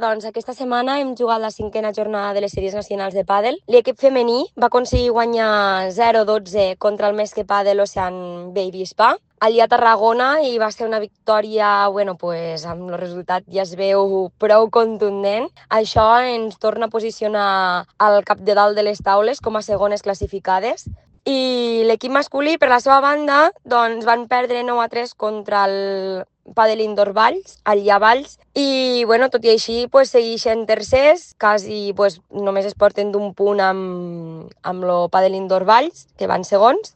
Doncs aquesta setmana hem jugat la 5a jornada de les sèries nacionals de pàdel. L'equip femení va aconseguir guanyar 0-12 contra el Mesque Pàdel Ocean Baby Spa allà a Tarragona i va ser una victòria, pues, amb el resultat ja es veu prou contundent. Això ens torna a posicionar al cap de dalt de les taules com a segones classificades. I l'equip masculí, per la seva banda, doncs van perdre 9-3 contra el Padel Indoor Valls, allà a Valls, i tot i així pues, segueixen tercers, quasi pues, només es porten d'un punt amb el Padel Indoor Valls, que van segons,